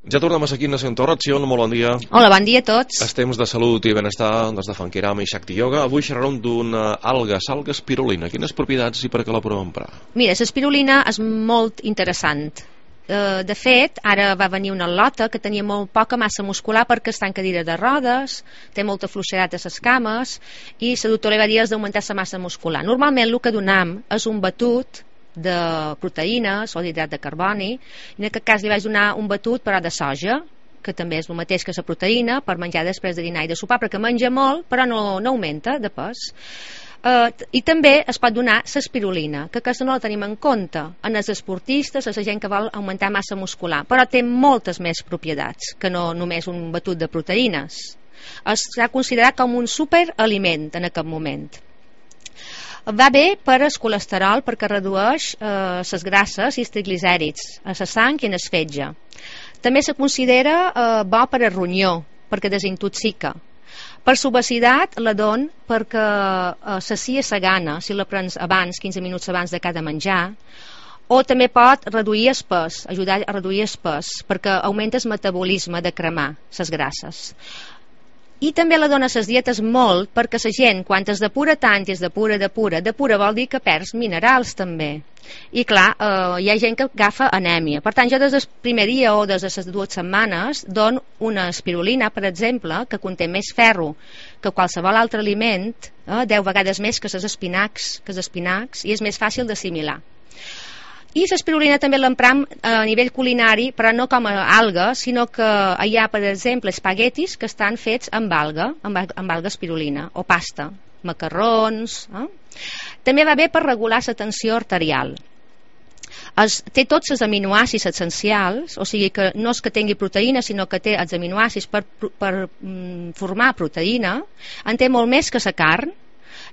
Ja tornem aquí a Nació Torra, Xion, molt bon dia. Hola, bon dia a tots. Estem de salut i benestar des de Funkirama i Shakti Yoga. Avui xerrarem d'una alga espirulina. Quines propietats i per què la podem emprar? Mira, l'espirulina és molt interessant. De fet, ara va venir una lota que tenia molt poca massa muscular perquè està en cadira de rodes, té molta fluixedat a les cames i la doctora li va dir d'augmentar la massa muscular. Normalment el que donam és un batut de proteïnes o d'hidrat de carboni. En aquest cas li vaig donar un batut però de soja, que també és el mateix que la proteïna, per menjar després de dinar i de sopar, perquè menja molt però no augmenta de pes. I també es pot donar l'espirulina, que aquesta no la tenim en compte en els esportistes, a la gent que vol augmentar massa muscular, però té moltes més propietats que no només un batut de proteïnes. S'ha considerat com un superaliment en aquest moment. Va bé per al colesterol perquè redueix les grasses i els triglicèrids a la sang i en el fetge. També se considera bo per al ronyó perquè desintoxica. Per l'obesitat la don perquè sacia la gana si la prens abans, 15 minuts abans de cada menjar, o també pot reduir el pes, ajudar a reduir el pes perquè augmenta el metabolisme de cremar les grasses. I també la dona a les dietes molt perquè la gent, quan es depura tant i es depura vol dir que perds minerals també. I clar, hi ha gent que agafa anèmia. Per tant, jo des del primer dia o des de les 2 setmanes dono una espirulina, per exemple, que conté més ferro que qualsevol altre aliment, 10 vegades més que els espinacs, i és més fàcil d'assimilar. I l'espirulina també l'empram a nivell culinari, però no com a alga, sinó que hi ha, per exemple, espaguetis que estan fets amb alga espirulina, o pasta, macarrons. També va bé per regular la tensió arterial. Té tots els aminoàcids essencials, o sigui que no és que tingui proteïna, sinó que té els aminoàcids per formar proteïna, en té molt més que la carn,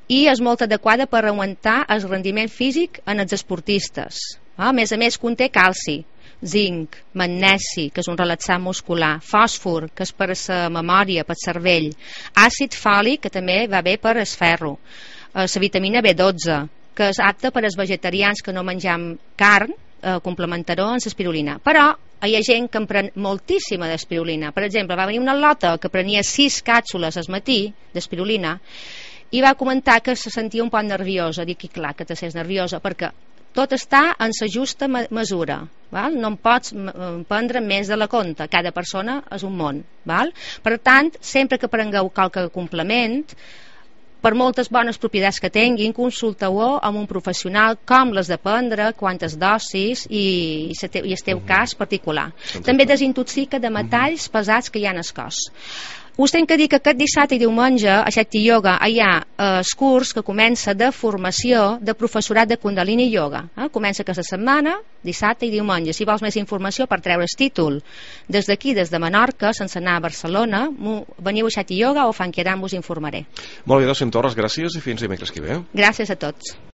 i és molt adequada per augmentar el rendiment físic en els esportistes. A més, conté calci, zinc, magnesi, que és un relaxant muscular, fòsfor, que és per a la memòria, per al cervell, àcid fòlic, que també va bé per al ferro, la vitamina B12, que és apta per als vegetarians que no mengem carn, complementaró en l'espirulina. Però hi ha gent que en pren moltíssima d'espirulina. Per exemple, va venir una lota que prenia 6 càpsules al matí d'espirulina i va comentar que se sentia un poc nerviosa. Dic, clar, que te sents nerviosa, perquè tot està en la justa mesura, val? No en pots prendre més de la compte, cada persona és un món, val? Per tant, sempre que prengueu qualque complement, per moltes bones propietats que tinguin, consulteu-ho amb un professional com les de prendre, quantes dosis i el teu cas particular. També desintoxica de metalls pesats que hi ha en el cos. Us tinc que dir que aquest dissabte i diumenge a Shakti Yoga hi ha el curs que comença de formació de professorat de Kundalini Yoga. Comença aquesta setmana, dissabte i diumenge. Si vols més informació per treure el títol des d'aquí, des de Menorca, sense anar a Barcelona, veniu a Shakti Yoga o Funkirama, us informaré. Molt bé, Nació Torra, gràcies i fins dimecres que ve. Gràcies a tots.